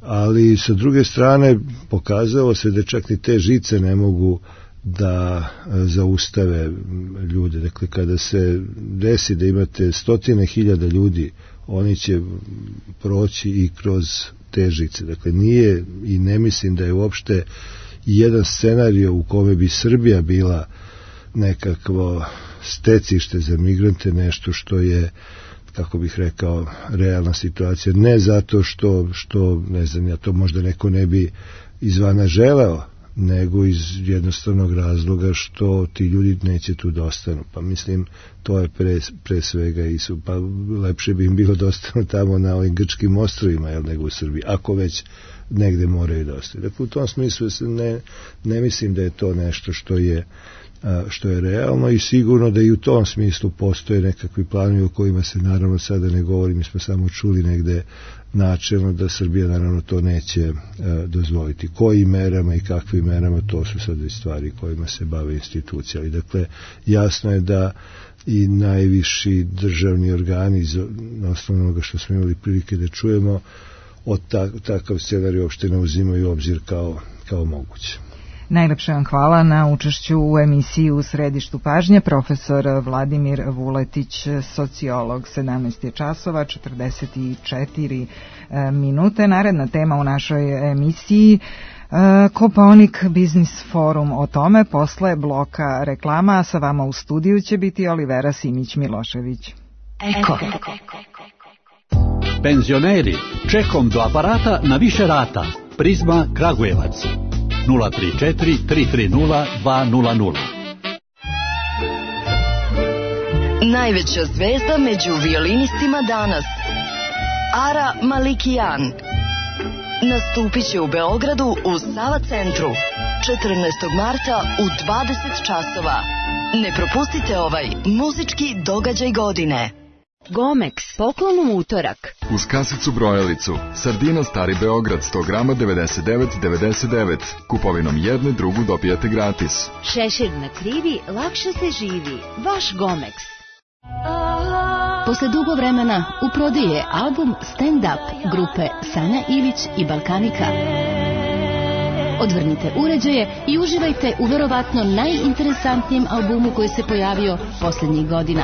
ali sa druge strane pokazalo se da čak ni te žice ne mogu da zaustave ljude. Dakle, kada se desi da imate 100.000 ljudi, oni će proći i kroz te žice. Dakle, nije i ne mislim da je uopšte jedan scenario u kome bi Srbija bila nekakvo stecište za migrante, nešto što je, kako bih rekao, realna situacija. Ne zato što ne znam, ja to možda neko ne bi izvana želeo, nego iz jednostavnog razloga što ti ljudi neće tu da ostanu. Pa mislim, to je pre svega i pa lepše bi im bilo da ostanu tamo na ovim grčkim ostrvima, nego u Srbiji, ako već negde moraju da ostaju. Dakle, u tom smislu ne mislim da je to nešto što je realno i sigurno da i u tom smislu postoje nekakvi planovi o kojima se naravno sada ne govori, mi smo samo čuli negde načelno da Srbija naravno to neće dozvoliti. Kojim merama i kakvim merama, to su sad stvari kojima se bave institucije. Ali dakle, jasno je da i najviši državni organi, na osnovu onoga što smo imali prilike da čujemo, od takav scenarij uopšte ne uzimaju u obzir kao moguće. Najlepše vam hvala na učešću u emisiji U središtu pažnje. Profesor Vladimir Vuletić, sociolog. 17 je časova, 44 minute. Naredna tema u našoj emisiji Kopaonik Biznis Forum, o tome posle bloka reklama, a sa vama u studiju će biti Olivera Simić-Milošević. Eko. Penzioneri, čekom do aparata na više rata. Prizma Kragujevac 034 330 200. Najveća zvezda među violinistima danas, Ara Malikian, nastupit će u Beogradu u Sava centru 14. marta u 20 časova. Ne propustite ovaj muzički događaj godine. Gomex, poklon u utorak. Uz kasicu brojalicu, sardina Stari Beograd 100 grama 99,99. Kupovinom jedne drugu dobijate gratis. Šešir na krivi, lakše se živi. Vaš Gomex. Posle dugo vremena u prodaji je album Stand Up grupe Sanja Ilić i Balkanika. Odvrnite uređaje i uživajte u verovatno najinteresantnijem albumu koji se pojavio posljednjih godina.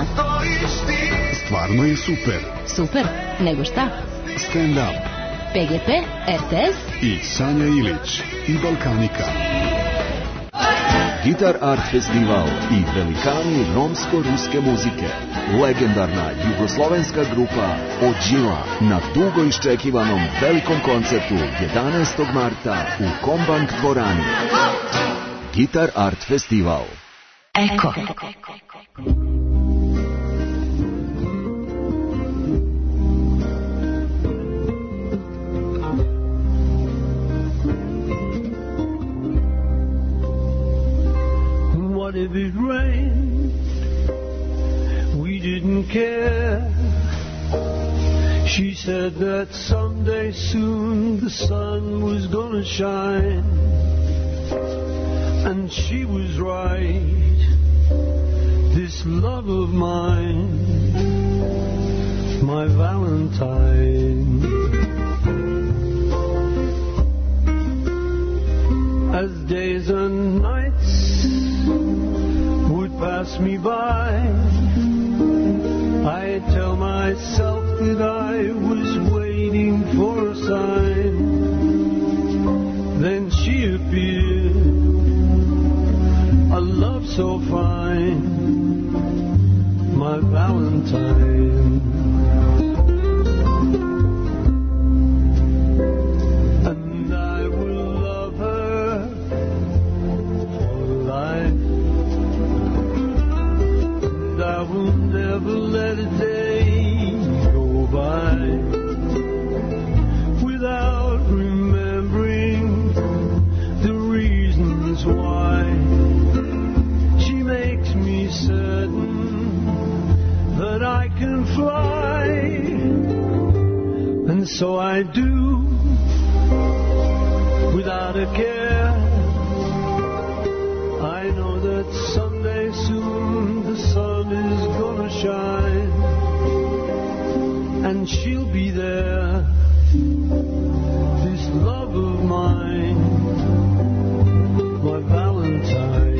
Stvarno je super. Super? Nego šta? Stand Up. PGP, RTS i Sanja Ilić i Balkanika. Gitar Art Festival i velikani romsko-ruske muzike. Legendarna jugoslovenska grupa Ođila na dugo iščekivanom velikom koncertu 11. marta u Kombank dvorani. Gitar Art Festival. Eko. What if it rained? We didn't care. She said that someday soon the sun was gonna shine. And she was right. This love of mine, my Valentine. As days and nights would pass me by, I tell myself that I was waiting for a sign. Then she appeared, a love so fine, my Valentine. And I will love her for life. And I will never let a day go by without remembering the reasons why. She makes me certain that I can fly, and so I do without a care. I know that someday soon the sun is gonna shine, and she'll be there, this love of mine, my Valentine.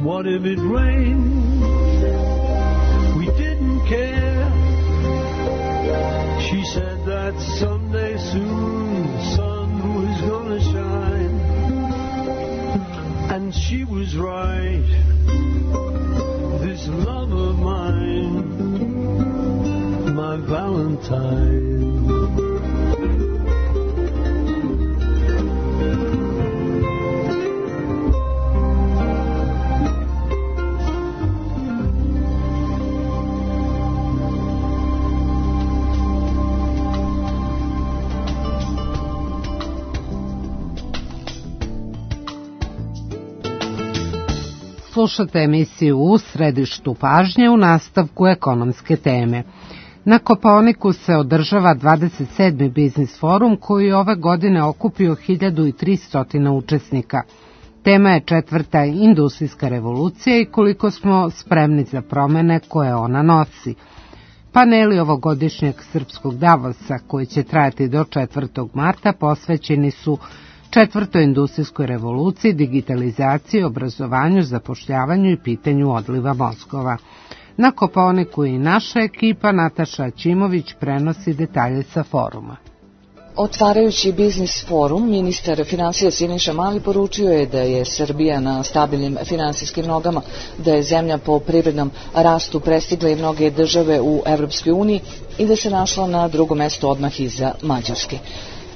What if it rained? We didn't care. She said that someday soon the sun was gonna shine, and she was right. This love of mine, my Valentine. Slušate emisiju U središtu pažnje u nastavku ekonomske teme. Na Kopaoniku se održava 27. biznis forum koji ove godine okupio 1300 učesnika. Tema je četvrta industrijska revolucija i koliko smo spremni za promene koje ona nosi. Paneli ovogodišnjeg srpskog Davosa, koji će trajati do 4. marta, posvećeni su 4. industrijskoj revoluciji, digitalizaciji, obrazovanju, zapošljavanju i pitanju odliva mozgova. Na Kopaoniku i naša ekipa Nataša Aćimović prenosi detalje sa foruma. Otvarajući biznis forum, ministar finansija Siniša Mali poručio je da je Srbija na stabilnim finansijskim nogama, da je zemlja po privrednom rastu prestigla i mnoge države u Evropskoj uniji i da se našla na drugom mestu odmah iza Mađarske.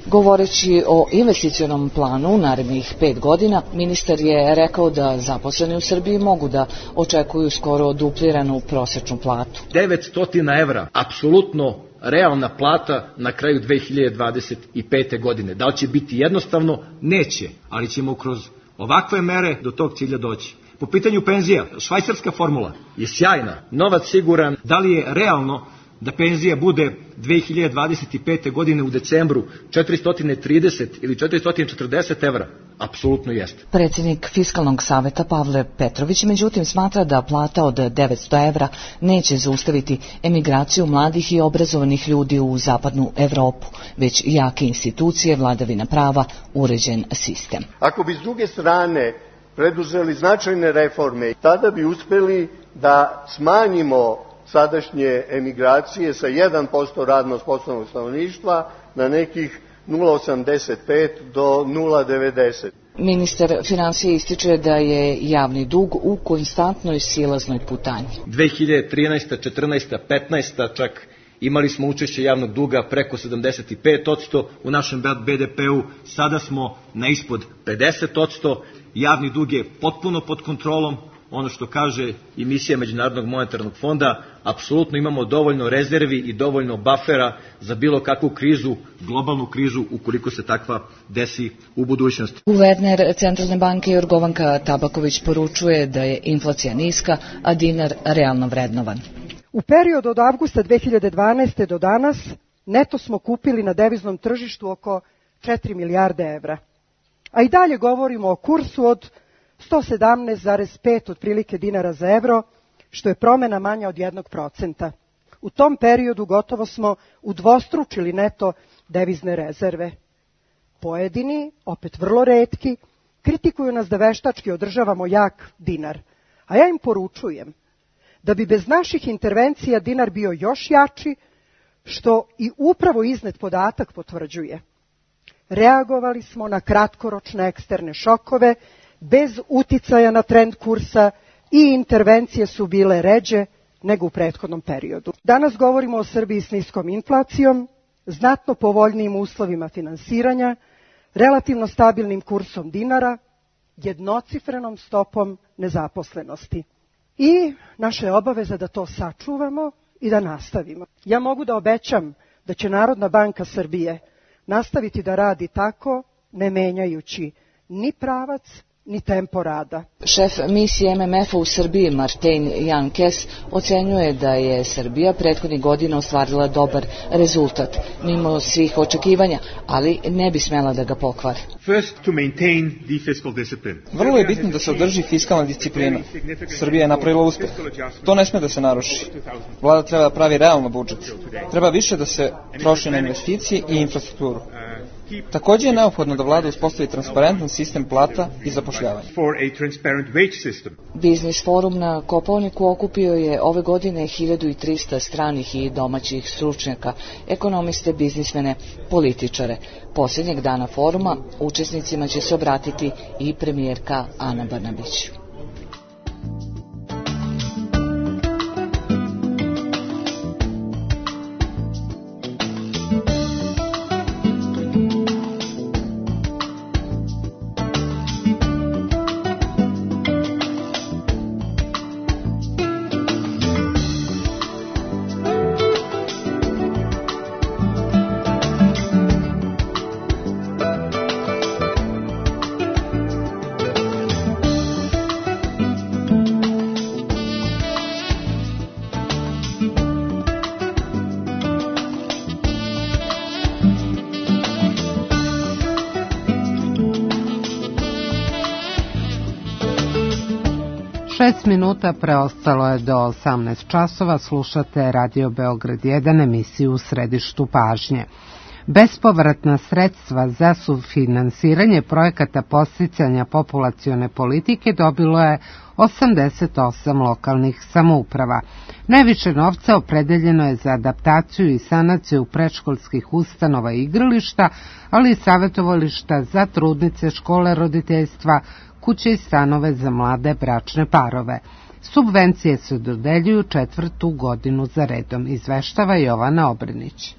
Govoreći o investicionom planu narednih 5 godina, ministar je rekao da zaposleni u Srbiji mogu da očekuju skoro dupliranu prosečnu platu. 900 evra, apsolutno realna plata na kraju 2025. godine. Da li će biti jednostavno? Neće, ali ćemo kroz ovakve mere do tog cilja doći. Po pitanju penzija, švajcarska formula je sjajna, novac siguran. Da li je realno da penzija bude 2025. godine u decembru 430 ili 440 evra? Apsolutno jeste. Predsjednik Fiskalnog saveta Pavle Petrović međutim smatra da plata od 900 evra neće zaustaviti emigraciju mladih i obrazovanih ljudi u zapadnu Evropu, već jake institucije, vladavina prava, uređen sistem. Ako bi s druge strane preduzeli značajne reforme, tada bi uspeli da smanjimo sadašnje emigracije sa 1% radno sposobnog stanovništva na nekih 0,85 do 0,90. Ministar finansija ističe da je javni dug u konstantnoj silaznoj putanji. 2013. 14. 15. čak imali smo učešće javnog duga preko 75% u našem BDP-u, sada smo na ispod 50%, javni dug je potpuno pod kontrolom. Ono što kaže i misija Međunarodnog monetarnog fonda, apsolutno imamo dovoljno rezervi i dovoljno bafera za bilo kakvu krizu, globalnu krizu, ukoliko se takva desi u budućnosti. Guverner Centralne banke Jorgovanka Tabaković poručuje da je inflacija niska, a dinar realno vrednovan. U periodu od avgusta 2012. do danas neto smo kupili na deviznom tržištu oko 4 milijarde evra. A i dalje govorimo o kursu od 117,5 otprilike dinara za evro, što je promjena manja od 1%. U tom periodu gotovo smo udvostručili neto devizne rezerve. Pojedini, opet vrlo retki, kritikuju nas da veštački održavamo jak dinar, a ja im poručujem da bi bez naših intervencija dinar bio još jači, što i upravo iznet podatak potvrđuje. Reagovali smo na kratkoročne eksterne šokove, bez uticaja na trend kursa i intervencije su bile ređe nego u prethodnom periodu. Danas govorimo o Srbiji s niskom inflacijom, znatno povoljnijim uslovima finansiranja, relativno stabilnim kursom dinara, jednocifrenom stopom nezaposlenosti. I naša je obaveza da to sačuvamo i da nastavimo. Ja mogu da obećam da će Narodna banka Srbije nastaviti da radi tako, ne menjajući ni pravac, ni tempo rada. Šef misije MMF-a u Srbiji Martin Jan Kes ocenjuje da je Srbija prethodnih godina ostvarila dobar rezultat, mimo svih očekivanja, ali ne bi smela da ga pokvari. Vrlo je bitno da se održi fiskalna disciplina. Srbija je napravila uspeh. To ne sme da se naruši. Vlada treba da pravi realno budžet. Treba više da se troši na investicije i infrastrukturu. Također je neophodno da vlada uspostavi transparentan sistem plata i zapošljavanja. Biznis forum na Kopaoniku okupio je ove godine 1300 stranih i domaćih stručnjaka, ekonomiste, biznismene, političare. Posljednjeg dana foruma učesnicima će se obratiti i premijerka Ana Brnabić. 6 minuta preostalo je do 18 časova, slušate Radio Beograd 1, emisiju U središtu pažnje. Bespovratna sredstva za sufinansiranje projekata podsticanja populacione politike dobilo je 88 lokalnih samouprava. Najviše novca opredeljeno je za adaptaciju i sanaciju predškolskih ustanova i igrališta, ali i savjetovališta za trudnice, škole roditeljstva, kuće i stanove za mlade bračne parove. Subvencije se dodeljuju 4. godinu za redom, izveštava Jovana Obrenić.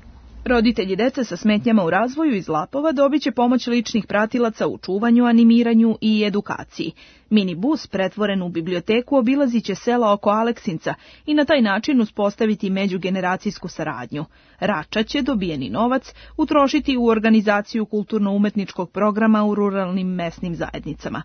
Roditelji dece sa smetnjama u razvoju iz Lapova dobit će pomoć ličnih pratilaca u čuvanju, animiranju i edukaciji. Minibus pretvoren u biblioteku obilazit će sela oko Aleksinca i na taj način uspostaviti međugeneracijsku saradnju. Rača će dobijeni novac utrošiti u organizaciju kulturno-umetničkog programa u ruralnim mesnim zajednicama.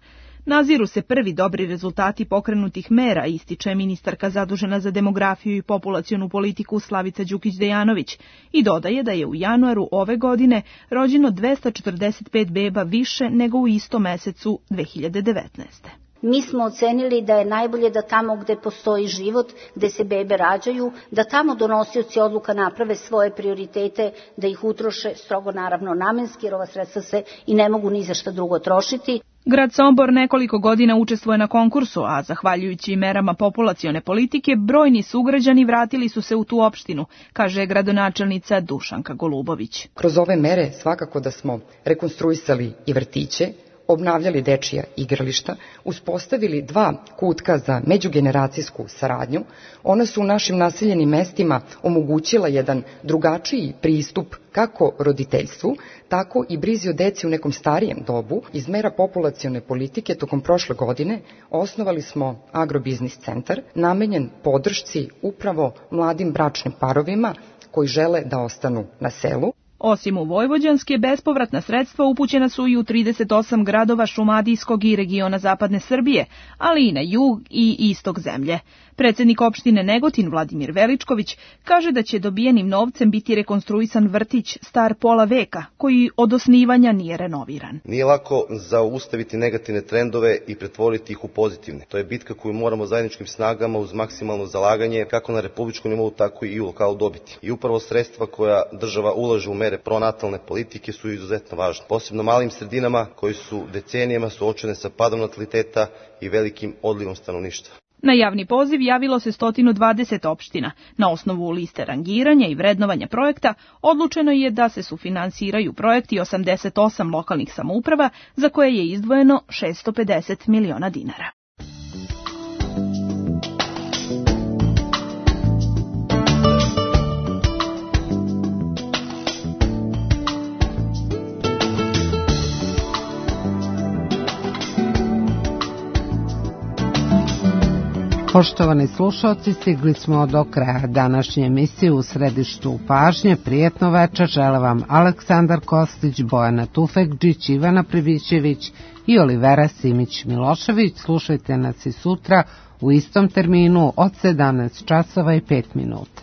Naziru se prvi dobri rezultati pokrenutih mera, ističe ministarka zadužena za demografiju i populacionu politiku Slavica Đukić-Dejanović i dodaje da je u januaru ove godine rođeno 245 beba više nego u istom mesecu 2019. Mi smo ocenili da je najbolje da tamo gde postoji život, gde se bebe rađaju, da tamo donosioci odluka naprave svoje prioritete, da ih utroše strogo naravno namenski, jer ova sredstva se i ne mogu ni za šta drugo trošiti. Grad Sombor nekoliko godina učestvuje na konkursu, a zahvaljujući merama populacione politike, brojni sugrađani vratili su se u tu opštinu, kaže gradonačelnica Dušanka Golubović. Kroz ove mere svakako da smo rekonstruisali i vrtiće, obnavljali dečija igrališta, uspostavili 2 kutka za međugeneracijsku saradnju. Ona su u našim naseljenim mestima omogućila jedan drugačiji pristup kako roditeljstvu, tako i brizi o deci u nekom starijem dobu. Iz mera populacione politike tokom prošle godine osnovali smo agrobiznis centar, namenjen podršci upravo mladim bračnim parovima koji žele da ostanu na selu. Osim u vojvođanske, bespovratna sredstva upućena su i u 38 gradova Šumadijskog i regiona Zapadne Srbije, ali i na jug i istok zemlje. Predsjednik opštine Negotin Vladimir Veličković kaže da će dobijenim novcem biti rekonstruisan vrtić star pola veka, koji od osnivanja nije renoviran. Nije lako zaustaviti negativne trendove i pretvoriti ih u pozitivne. To je bitka koju moramo zajedničkim snagama uz maksimalno zalaganje kako na republičkom nivou, tako i u lokalu dobiti. I upravo sredstva koja država ulaže u mere pronatalne politike su izuzetno važne. Posebno malim sredinama koji su decenijama suočene sa padom nataliteta i velikim odlivom stanovništva. Na javni poziv javilo se 120 opština. Na osnovu liste rangiranja i vrednovanja projekta odlučeno je da se sufinansiraju projekti 88 lokalnih samouprava za koje je izdvojeno 650 miliona dinara. Poštovani slušalci, stigli smo do kraja današnje emisije U središtu pažnje. Prijetno večer žele vam Aleksandar Kostić, Bojana Tufekđić, Ivana Pribićević i Olivera Simić-Milošević. Slušajte nas i sutra u istom terminu od 17 časova i 5 minuta.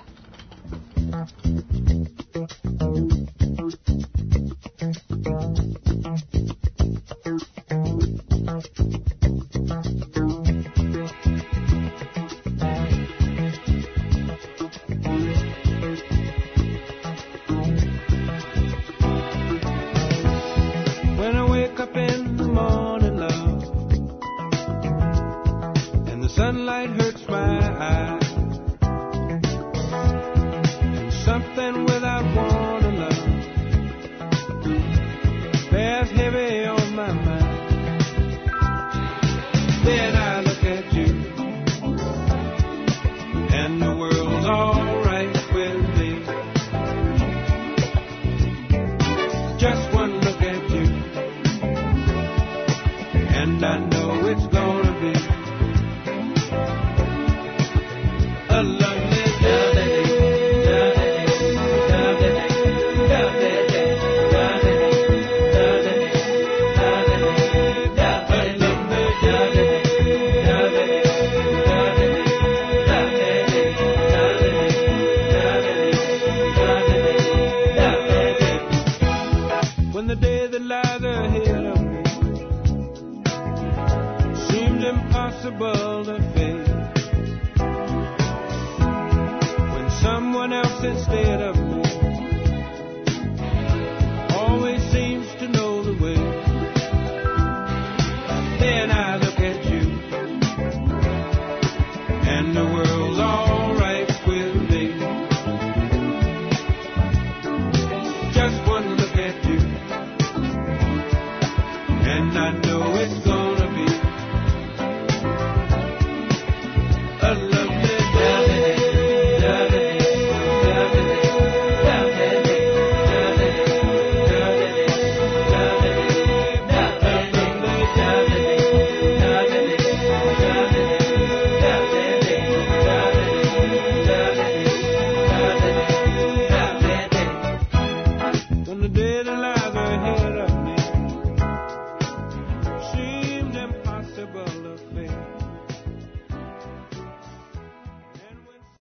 Sunlight hurts my eyes, and something without wanting love instead of